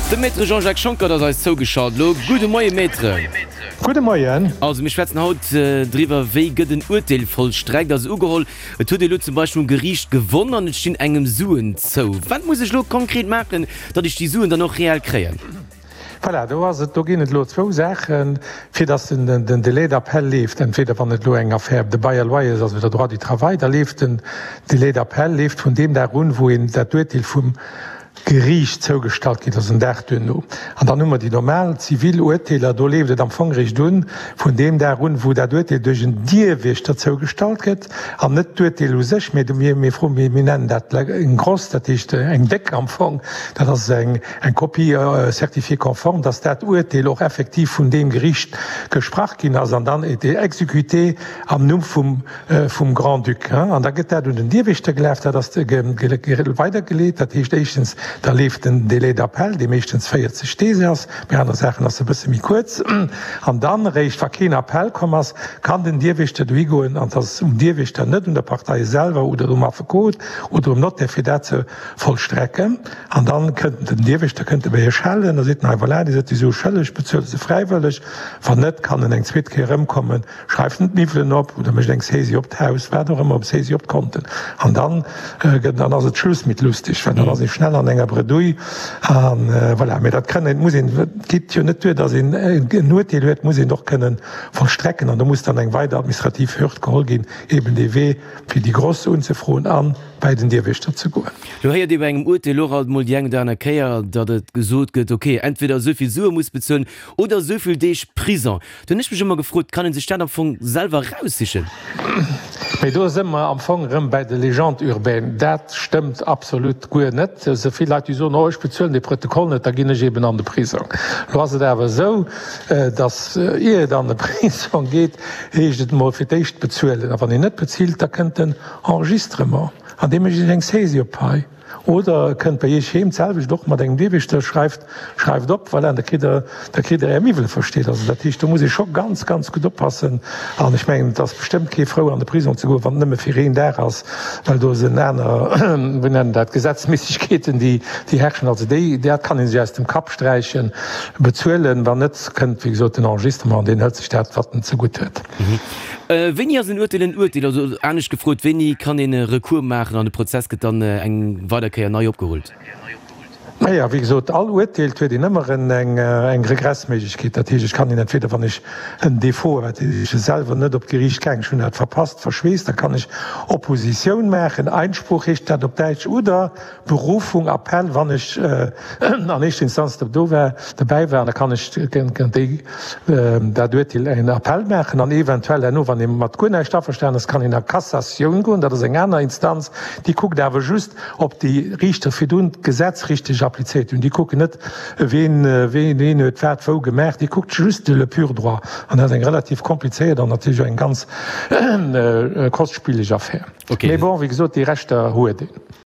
De Maître Jean-Jacques Schonckert ass eis zougeschalt elo. Gudde Moie Maître. Gudde Moien. Also mir schwätzen haut driwwer, wéi gëtt en Urteel vollstreckt. Also ugeholl, et huet ee lo zum Beispill um Geriicht gewonn an et stinn engem Suen zou. Wat muss ech lo konkret maachen, datt ech déi Suen dann och reell kréien? Voilà, do ass et, do ginn et elo zwou Saachen, fir datt den Délai d'appel leeft. Entweder wann et elo eng Affaire de bail à loyers ass oder droit du travail, da leeft den Délai d'appel leeft vun deem Dag un, wou een dat Urteel vum Geriicht zougestallt ginn ass, en Dag duerno. An dann hu mer déi normal zivil Urteeler, do leeft et am Fong eréischt un vun deem Dag un, wou dat Urteel duerch en Dierwiechter zougestallt gëtt, an net d'Urteel u sech, mä mir, mir froen, mir nennen dat eng grosse, dat heescht eng déck am Fong, dat ass eng, eng Copie certifiée conforme, dass dat Urteel och effektiv vun deem Geriicht gesprach ginn ass an dann été exécuté am Numm vum vum Grand-Duc. An da gëtt dat un den Dierwächter gelaf, dat ass weidergeleet. Dat heescht éischtens, da leeft den Délai d'appel, dee meeschtens 40 Deeg ass, bei anere Saachen ass e bësse méi kuerz. An dann eréischt, wa keen Appell komm ass, kann den Dierwächter dohi goen, an et ass um Dierwächter, net un der Partei selwer oder um Affekot oder um Notaire, fir dat ze vollstrecken. An dann kënnt den Dierwächter, kënnt e bei Iech schellen, da seet en, hei voilà, Dir sidd déi Sue schëlleg, bezuelt se fräiwëlleg. Wann net, kann en eng zweet Kéier erëmkommen. Schreift en d'Miwwelen op oder mécht eng Saisie op d'Haus, wat och ëmmer, Saisie op d'Konten. An dann gëtt, dann ass et Schluss mit lustig, well dann ass ee schnell an enger Bredouille. A voilà, mee dat kënnen, muss een, et geet jo net duer, datt een en Urteel huet, et muss een och kënnen vollstrecken. An do muss dann eng weider administrativ Hürd geholl ginn, eben dee Wee fir déi Gross unzefroen a bäi den Dierwächter ze goen. Lo héiert ee bei engem Urteel och alt mol déi eng oder aner Kéier, datt et gesot gëtt, okay, entweder esou vill Sue muss bezuelen oder esou vill Deeg Prison. Do hunn ech mech ëmmer gefrot, kann een sech dat am Fong selwer eraussichen? Mee do së mer am Fong erëm bäi de Légendes urbaines. Dat stëmmt absolut guer net. Esou vill Leit, déi soen, oh ech bezuelen dee Protokoll net, da ginn ech eben an de Prisong. Lo ass et awer esou, datt ier et an de Prisong geet, heescht et emol fir d'éischt bezuelen. A wann een net bezilt, da kënnt den Enregistrement an dee mécht Iech eng Saisie op d'Pai. Oder e kënnt bei Iech heem, d'selwecht och mat engem Dierwiechter, schreift, schreift op, voilà, an da kritt Der, da kritt Der Är Miwwele versteet. Also dat heescht, do muss ee scho ganz, ganz gutt oppassen. An ech mengen, et ass bestëmmt kee frou, an de Prisong ze goen, wann et nëmme fir een Dag ass, well do sinn aner, wéi nennen dat, Gesetzméissegkeeten, déi, déi herrschen. Also déi, dat kann ee sech aus dem Kapp sträichen. Bezuelen, wann net, kënnt, wéi gesot, den Enregistrement, an deen hëlt sech dat, wat en zegutt huet. Wéini ass en Urteel en Urteel? Also anescht gefrot, wéini kann een e Recours maachen an de Prozess gëtt dann eng weider Kéier nei opgerullt? Naja, wéi gesot, all Urteel huet een ëmmer eng Regressméiglechkeet. Dat heescht, ech kann een entweder, wann ech en Défaut, wat ech selwer net op d'Geriicht gaang, ech hunn dat verpasst, verschweest, da kann ech Oppositioun maachen, Einspruch heescht dat op Däitsch, oder Berufung, Appell, wann ech an éischter Instanz do war, dobäi war, da kann ech géint déi, dat Urteel en Appell maachen an eventuell herno, wann ee mat guer näischt averstanen ass, kann een a Cassatioun goen. Dat ass eng aner Instanz, déi kuckt awer just, ob déi Riichter virdrun d'Gesetz richteg applizéiert hunn. Déi kucken net, ween ween huet wat wou gemaach, déi kuckt just le pur droit. An dat ass eng relativ komplizéiert an natierlech och eng ganz kostspieleg Affär. Mee bon, wéi gesot, déi Rechter huet een.